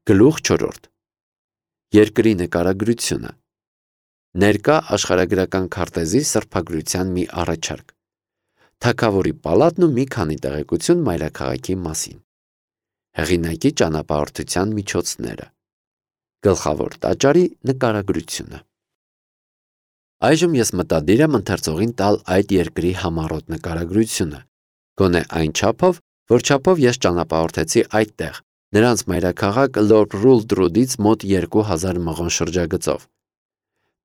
Գլուխ 4. Երկրի նկարագրությունը։ Ներկա աշխարհագրական քարտեզի սրբագրության մի առաջարկ։ Թագավորի պալատն ու մի քանի տեղեկություն մայրաքաղաքի մասին։ Հեղինակի ճանապարհորդության միջոցները։ Գլխավոր տաճարի նկարագրությունը։ Այժմ ես մտադիր եմ ընթերցողին տալ այդ երկրի համառոտ նկարագրությունը, գոնե այն չափով, որ չափով ես ճանապարհորդեցի այդտեղ, նրանց մայրաքաղաք Լորբ Ռուլդրուդից մոտ 2000 մղոն շրջագծով։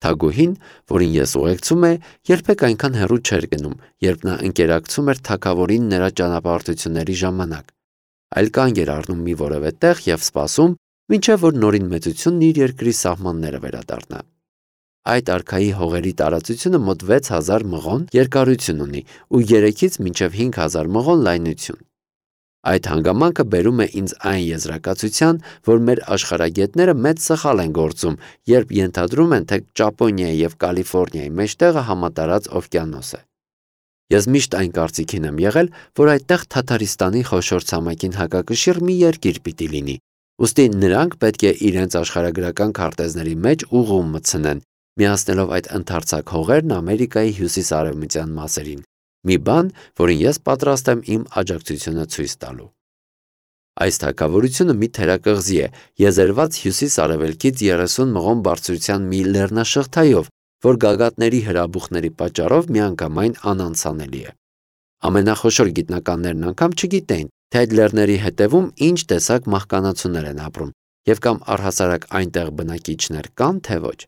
Թագուհին, որին ես ուղեկցում է, երբեք այնքան հեռու չէր գնում, երբ նա ընկերակցում էր թագավորին նրա ճանապարհորդությունների ժամանակ, այլ կանգ էր առնում մի որևէ տեղ եւ սպասում, մինչև որ նորին մեծությունն իր երկրի սահմանները վերադառնա։ Այդ արքայի հողերի տարածությունը մոտ 6000 մղոն երկարություն ունի ու 3-ից մինչև 5000 մղոն լայնություն։ Այդ հանգամանքը բերում է ինձ այն եզրակացության, որ մեր աշխարհագետները մեծ սխալ են գործում, երբ ենթադրում են, թե Ճապոնիայի եւ Կալիֆոռնիայի մեջտեղը համատարած օվկիանոս է։ Ես միշտ այն կարծիքին եմ եղել, որ այդտեղ Թաթարիստանի խոշոր ցամաքին հակակշիռ մի երկիր պիտի լինի, ուստի նրանք պետք է իրենց աշխարհագրական քարտեզների մեջ ուղում մտցնեն, միացնելով այդ ընդարձակ հողերն Ամերիկայի հյուսիս-արևմտյան մասերին, մի բան, որին ես պատրաստ եմ իմ աջակցությունը ցույց տալու։ Այս թագավորությունը մի թերակղզի է, եզերված հյուսիս-արևելքից 30 մղոն բարձրության մի լեռնաշղթայով, որ գագաթների հրաբուխների պատճառով միանգամայն անանցանելի է։ Ամենախոշոր գիտնականներն անգամ չգիտեն, թե այդ լեռների հետևում ինչ տեսակ մահկանացուներ են ապրում, եւ կամ առհասարակ այնտեղ բնակիչներ կան, թե ոչ։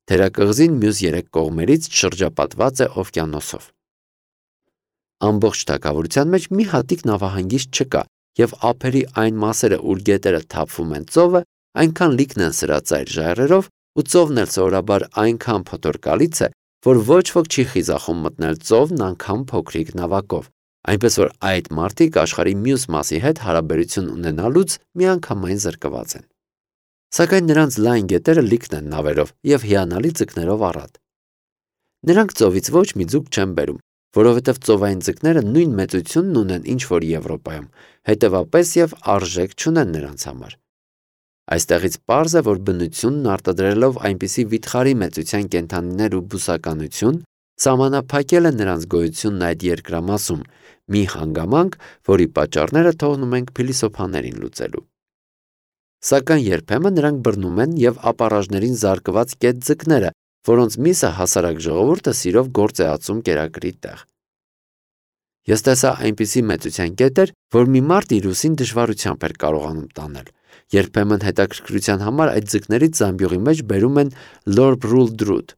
Թերակղզին մյուս 3 կողմերից շրջապատված է օվկիանոսով։ Ամբողջ թագավորության մեջ մի հատիկ նավահանգիստ չկա, եւ ափերի այն մասերը, ուր գետերը թափվում են ծովը, այնքան լիքն են սրածայր ժայռերով, ու ծովն էլ սովորաբար այնքան փոթորկալից է, որ ոչ ոք չի խիզախում մտնել ծովն անգամ փոքրիկ նավակով, այնպես որ այդ մարդիկ աշխարհի մյուս մասի հետ հարաբերություն ունենալուց միանգամայն զրկված են։ Սակայն նրանց լայն գետերը լիքն են նավերով եւ հիանալի ձկներով առատ։ Նրանք ծովից ոչ մի ձուկ չեն բերում, որովհետև ծովային ձկները նույն մեծությունն ունեն ինչ որ Եվրոպայում, հետևապես եւ արժեք չունեն նրանց համար։ Այստեղից պարզ է, որ բնությունն արտադրելով այնպիսի վիթխարի մեծության կենդանիներ ու բուսականություն, սահմանափակել է նրանց գոյությունն այդ երկրամասում, մի հանգամանք, որի պատճառները թողնում ենք փիլիսոփաներին լուծելու։ Սակայն երբեմն նրանք բռնում են եւ ապառաժներին զարկված կետ ձկները, որոնց միսը հասարակ ժողովուրդը սիրով գործ է ածում կերակրի տեղ։ Ես տեսա այնպիսի մեծության կետեր, որ մի մարդ իր ուսին դժվարությամբ էր կարողանում տանել։ Երբեմն հետաքրքրության համար այդ ձկներից զամբյուղի մեջ բերում են Լորբ Ռուլդրուդ։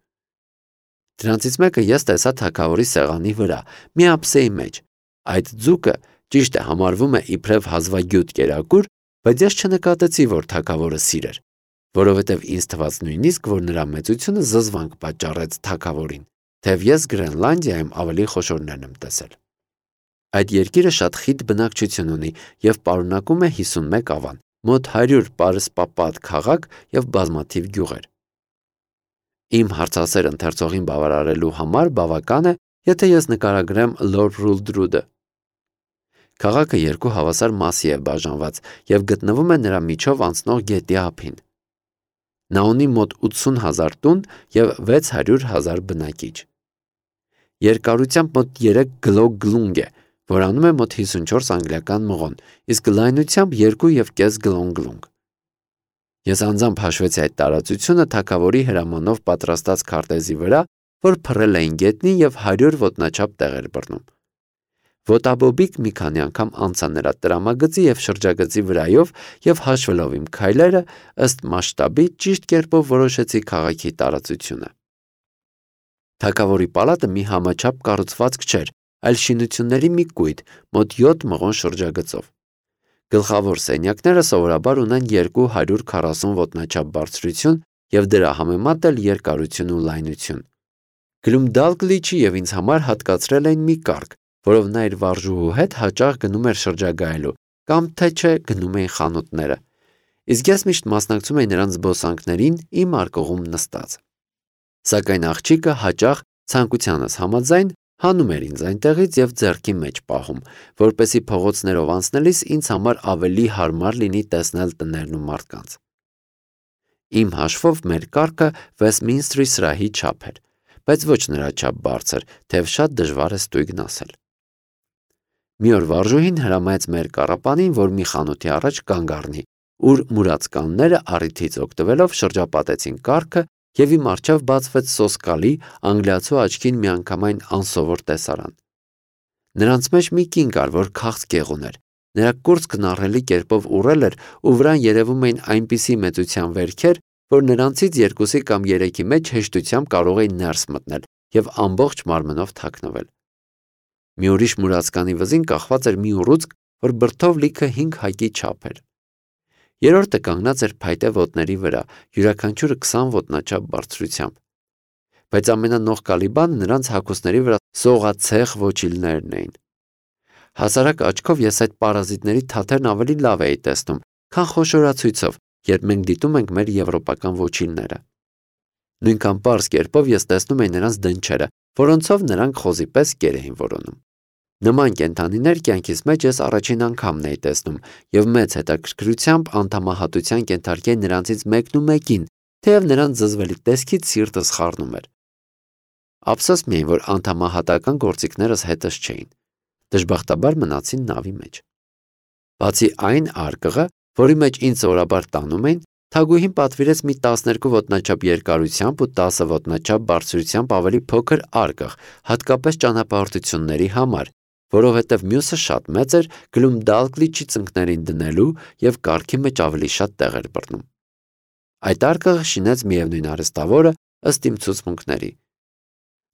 Դրանցից մեկը ես տեսա թագավորի սեղանի վրա, մի ափսեի մեջ։ Այդ ձուկը ճիշտ է համարվում է իբրև հազվագյուտ կերակուր, բայց ես չնկատեցի, որ թագավորը սիրեր, որովհետև ինձ թվաց նույնիսկ, որ նրա մեծությունը զզվանք պատճառեց թագավորին, թեև ես Գրենլանդիայում ավելի խոշորներն եմ տեսել։ Այդ երկիրը շատ խիտ բնակչություն ունի եւ պարունակում է 51 ավան, մոտ 100 պարսպապատ քաղաք եւ բազմաթիվ գյուղեր։ Իմ հարցասեր ընթերցողին բավարարելու համար բավական է, եթե ես նկարագրեմ Լորբ Ռուլդրուդը։ Քաղաքը 2 հավասար մասի է բաժանված եւ գտնվում է նրա միջով անցնող գետի ափին։ Նա ունի մոտ 80,000 տուն եւ 600,000 բնակիչ։ Երկարությամբ մոտ 3 գլոգլունգ է, որանում է մոտ 54 անգլիական մղոն, իսկ լայնությամբ 2,5 գլոնգլունգ։ Ես անձամբ հաշվեցի այդ տարածությունը թագավորի հրամանով պատրաստած քարտեզի վրա, որ փռել էին գետնին եւ 100 ոտնաչափ տեղեր բռնում։ Ոտաբոբիկ մի քանի անգամ անցա նրա տրամագծի եւ շրջագծի վրայով եւ հաշվելով իմ քայլերը ըստ մասշտաբի ճիշտ կերպով որոշեցի քաղաքի տարածությունը։ Թագավորի պալատը մի համաչափ կառուցվածք չէր, այլ շինությունների մի կույտ, մոտ 7 մղոն շրջագծով։ Գլխավոր սենյակները սովորաբար ունեն 240 ոտնաչափ բարձրություն եւ դրա համեմատ էլ երկարություն ու լայնություն։ Գլումդալգլիչի եւ ինձ համար հատկացրել էին մի կարգ, որով նա իր վարժուհու հետ հաճախ գնում էր շրջագայելու, կամ թե չէ գնում էին խանութները, իսկ ես միշտ մասնակցում էի նրանց զբոսանքներին իմ արկղում նստած։ Սակայն աղջիկը հաճախ ցանկությանս համաձայն Հանում էր ինձ այնտեղից և ձեռքի մեջ պահում, որպեսզի փողոցներով անցնելիս ինձ համար ավելի հարմար լինի տեսնել տներն ու մարդկանց։ Իմ հաշվով մեր կառքը Վեսթմինսթրի սրահի չափ էր, բայց ոչ նրա չափ բարձր, թեև շատ դժվար է ստույգն ասել։ Մի օր վարժուհին հրամայեց մեր կառապանին, որ մի խանութի առաջ կանգ առնի, ուր մուրացկանները առիթից օգտվելով շրջապատեցին կառքը և իմ առջև բացվեց սոսկալի, անգլիացու աչքին միանգամայն անսովոր տեսարան։ Նրանց մեջ մի կին կար, որ քաղցկեղ ուներ, նրա կուրծքն ահռելի կերպով ուռել էր ու վրան երևում էին այնպիսի մեծության վերքեր, որ նրանցից երկուսի կամ երեքի մեջ հեշտությամբ կարող էին ներս մտնել և ամբողջ մարմնով թաքնվել։ Մի ուրիշ մուրացկանի վզին կախված էր մի ուռուցք, որ բրդով լիքը 5 հակի չափ էր։ Երրորդը կանգնած էր փայտե ոտների վրա, յուրաքանչյուրը 20 ոտնաչափ բարձրությամբ։ Բայց ամենանողկալի բանը նրանց հագուստների վրա սողացեղ ոչիլներն էին։ Հասարակ աչքով ես այդ պարազիտների թաթերն ավելի լավ էի տեսնում, քան խոշորացույցով, երբ մենք դիտում ենք մեր եվրոպական ոչիլները։ Նույնքան պարզ կերպով ես տեսնում էի նրանց դնչերը, որոնցով նրանք խոզի պես կեր էին որոնում։ Նման կենդանիներ կյանքիս մեջ ես առաջին անգամն էի տեսնում և մեծ հետաքրքրությամբ անդամահատության կենթարկեի նրանցից մեկն ու մեկին, թեև նրանց զզվելի տեսքից սիրտս խառնում էր։ Ափսոս միայն, որ անդամահատական գործիքներս հետս չէին։ Դժբախտաբար մնացին նավի մեջ։ Բացի այն արկղը, որի մեջ ինձ սովորաբար տանում էին, թագուհին պատվիրեց մի 12 ոտնաչափ երկարությամբ ու 10 ոտնաչափ բարձրությամբ ավելի փոքր արկղ, հատկապես ճանապարհորդությունների համար, որովհետև մյուսը շատ մեծ էր Գլումդալկլիչի ծնկներին դնելու և կառքի մեջ ավելի շատ տեղ էր բռնում։ Այդ արկղը շինեց միևնույն արհեստավորը ըստ իմ ցուցմունքների։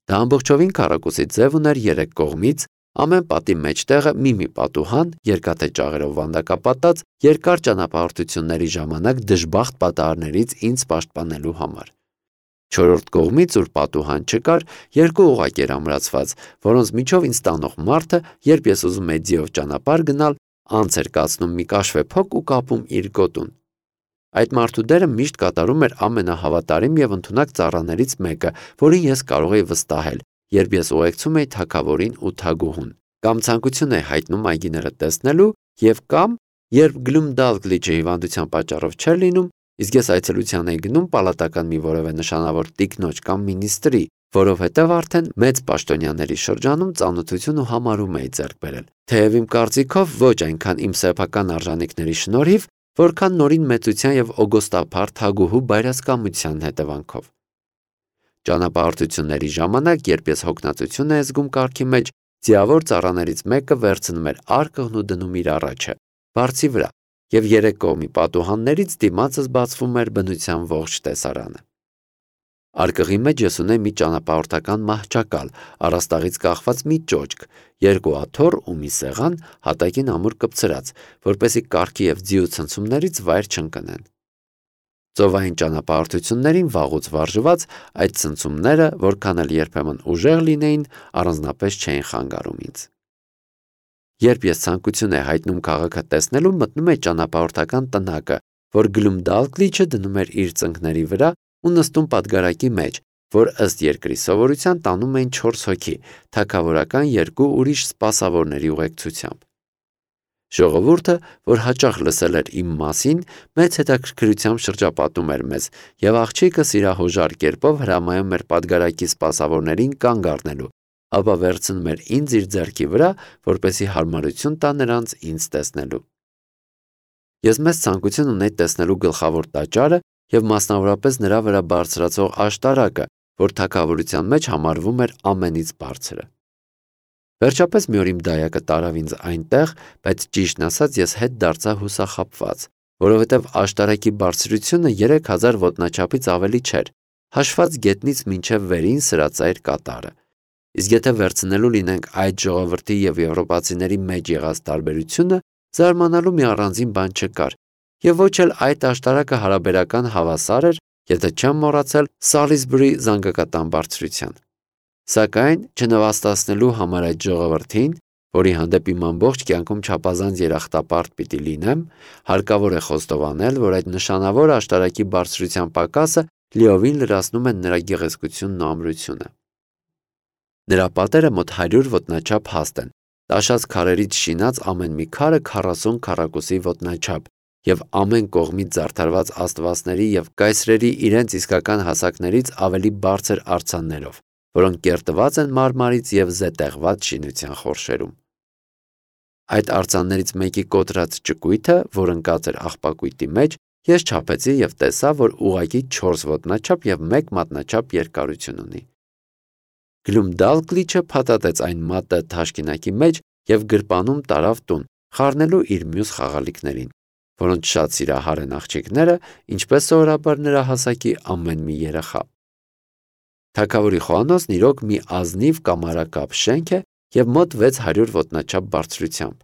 Դա ամբողջովին քառակուսի ձև ուներ 3 կողմից, ամեն պատի մեջտեղը մի պատուհան, երկաթե ճաղերով վանդակապատած, երկար ճանապարհորդությունների ժամանակ դժբախտ պատահարներից ինձ պաշտպանելու համար։ Չորրորդ կողմից, ուր պատուհան չկար, 2 օղակ էր ամրացված, որոնց միջով ինձ տանող մարդը, երբ ես ուզում էի ձիով ճանապարհ գնալ, անց էր կացնում մի կաշվե փոկ ու կապում իր գոտուն։ Այդ մարդու դերը միշտ կատարում էր ամենահավատարիմ և ընդունակ ծառաներից մեկը, որին ես կարող էի վստահել, երբ ես ուղեկցում էի թագավորին ու թագուհուն, կամ ցանկություն էի հայտնում այգիները տեսնելու, և կամ երբ Գլումդալկլիչը հիվանդության պատճառով չէր լինում, իսկ ես այցելության էի գնում պալատական մի որևէ նշանավոր տիկնոջ կամ մինիստրի, որովհետև արդեն մեծ պաշտոնյաների շրջանում ծանոթություն ու համարում էի ձեռք բերել, թեև իմ կարծիքով ոչ այնքան իմ սեփական արժանիքների շնորհիվ, որքան նորին մեծության և օգոստափառ թագուհու բայրասկամության հետևանքով։ Ճանապարհորդությունների ժամանակ, երբ ես հոգնածություն էի զգում կառքի մեջ, ձիավոր ծառաներից մեկը վերցնում էր արկղն ու դնում իր առաջը, բարձի վրա, և 3 կողմի պատուհաններից դիմացս բացվում էր բնության ողջ տեսարանը։ Արկղի մեջ ես ունեի մի ճանապարհորդական մահճակալ, առաստաղից կախված մի ճոճք, 2 աթոռ ու մի սեղան, հատակին ամուր կպցրած, որպեսզի կառքի և ձիու ցնցումներից վայր չընկնեն։ Ծովային ճանապարհորդություններին վաղուց վարժված, այդ ցնցումները, որքան էլ երբեմն ուժեղ լինեին, առանձնապես չէին խանգարում ինձ։ Երբ ես ցանկություն էի հայտնում քաղաքը տեսնելու, մտնում էի ճանապարհորդական տնակը, որ Գլումդալկլիչը դնում էր իր ծնկների վրա ու նստում պատգարակի մեջ, որ ըստ երկրի սովորության տանում էին 4 հոգի, թագավորական 2 ուրիշ սպասավորների ուղեկցությամբ։ Ժողովուրդը, որ հաճախ լսել էր իմ մասին, մեծ հետաքրքրությամբ շրջապատում էր մեզ, և աղջիկը սիրահոժար կերպով հրամայում էր պատգարակի սպասավորներին կանգ առնելու, ապա վերցնում էր ինձ իր ձեռքի վրա, որպեսզի հարմարություն տա նրանց ինձ տեսնելու։ Ես մեծ ցանկություն ունեի տեսնելու գլխավոր տաճարը և մասնավորապես նրա վրա բարձրացող աշտարակը, որ թագավորության մեջ համարվում էր ամենից բարձրը։ Վերջապես մի օր իմ դայակը տարավ ինձ այնտեղ, բայց ճիշտն ասած ես հետ դարձա հուսախաբված, որովհետև աշտարակի բարձրությունը 3000 ոտնաչափից ավելի չէր, հաշված գետնից մինչև վերին սրածայր կատարը։ Իսկ եթե վերցնելու լինենք այդ ժողովրդի և եվրոպացիների մեջ եղած տարբերությունը, զարմանալու մի առանձին բան չկար, և ոչ էլ այդ աշտարակը հարաբերական հավասար էր, եթե չեմ մոռացել, Սալիզբուրի զանգակատան բարձրության։ Սակայն, չնվաստացնելու համար այդ ժողովրդին, որի հանդեպ իմ ամբողջ կյանքում չափազանց երախտապարտ պիտի լինեմ, հարկավոր է խոստովանել, որ այդ նշանավոր աշտարակի բարձրության պակասը լիովին լրացնում են նրա գեղեցկությունն ու ամրությունը։ Նրա պատերը մոտ 100 ոտնաչափ հաստ են, տաշած քարերից շինած ամեն մի քարը 40 քառակուսի ոտնաչափ և ամեն կողմից զարդարված աստվածների և կայսրերի իրենց իսկական հասակներից ավելի բարձր արձաններով, որոնք կերտված են մարմարից և զետեղված շինության խորշերում։ Այդ արձաններից մեկի կոտրած ճկույթը, որ ընկած էր աղբակույտի մեջ, ես չափեցի և տեսա, որ ուղղակի 4 ոտնաչափ և 1 մատնաչափ երկարություն ունի։ Գլումդալկլիչը փաթաթեց այն մատը թաշկինակի մեջ և գրպանում տարավ տուն, խառնելու իր մյուս խաղալիքներին, որոնց շատ սիրահար են աղջիկները, ինչպես սովորաբար նրա հասակի ամեն մի երեխա։ Թագավորի խոհանոցն իրոք մի ազնիվ կամարակապ շենք է և մոտ 600 ոտնաչափ բարձրությամբ։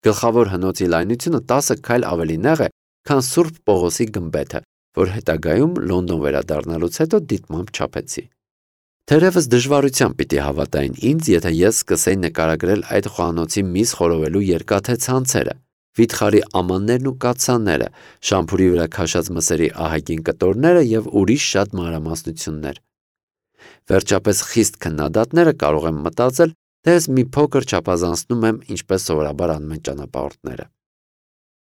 Գլխավոր հնոցի լայնությունը 10 քայլ ավելի նեղ է, քան Սուրբ Պողոսի գմբեթը, որ հետագայում Լոնդոն վերադառնալուց հետո դիտմամբ չափեցի։ Թերևս դժվարությամբ պիտի հավատային ինձ, եթե ես սկսեի նկարագրել այդ խոհանոցի միս խորովելու երկաթե ցանցերը, վիթխարի ամաններն ու կաթսաները, շամփուրի վրա քաշած մսերի ահագին կտորները և ուրիշ շատ մանրամասնություններ։ Վերջապես խիստ քննադատները կարող են մտածել, թե ես մի փոքր չափազանցնում եմ, ինչպես սովորաբար անում են ճանապարհորդները։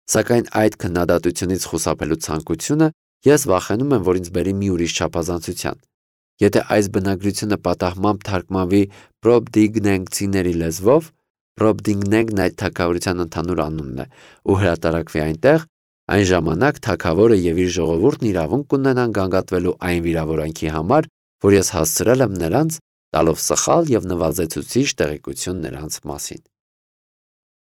Սակայն այդ քննադատությունից խուսափելու ցանկությունը ես վախենում եմ, որ ինձ բերի մի ուրիշ չափազանցության։ Եթե այս բնագրությունը պատահմամբ թարգմանվի պրոբդիգնենգցիների լեզվով, Պրոբդինգնենգն այդ թագավորության ընդհանուր անունն է, ու հրատարակվի այնտեղ, այն ժամանակ թագավորը և իր ժողովուրդն իրավունք կունենան գանգատվելու այն վիրավորանքի համար, որ ես հասցրել եմ նրանց, տալով սխալ և նվազեցուցիչ տեղեկություն նրանց մասին։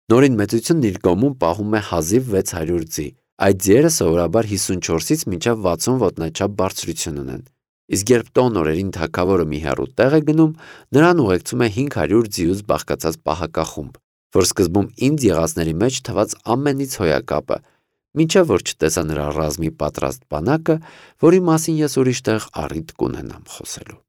Նորին մեծությունն իր գոմում պահում է հազիվ 600 ձի, այդ ձիերը սովորաբար 54-ից մինչև 60 ոտնաչափ բարձրություն ունեն, իսկ երբ տոն օրերին թագավորը մի հեռու տեղ է գնում, նրան ուղեկցում է 500 ձիուց բաղկացած պահակախումբ, որ սկզբում ինձ եղածների մեջ թվաց ամենից հոյակապը, մինչև որ չտեսա նրա ռազմի պատրաստ բանակը, որի մասին ես ուրիշ տեղ առիթ կունենամ խոսելու։